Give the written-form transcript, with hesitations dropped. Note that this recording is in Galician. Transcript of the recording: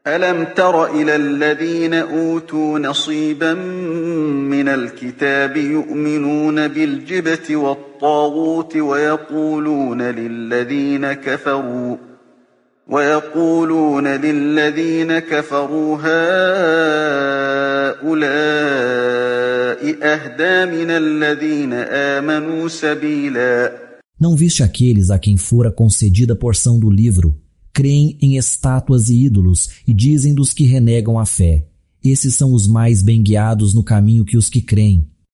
ألم تر إلى الذين أوتوا نصيبا من الكتاب يؤمنون بالجبت والطاغوت ويقولون للذين كفروا هؤلاء أهدى من الذين آمنوا سبيلا. Não viste aqueles a quem fora concedida a porção do livro? Creem em estátuas e ídolos e dizem dos que renegam a fé: esses são os mais bem guiados no caminho que os que creem.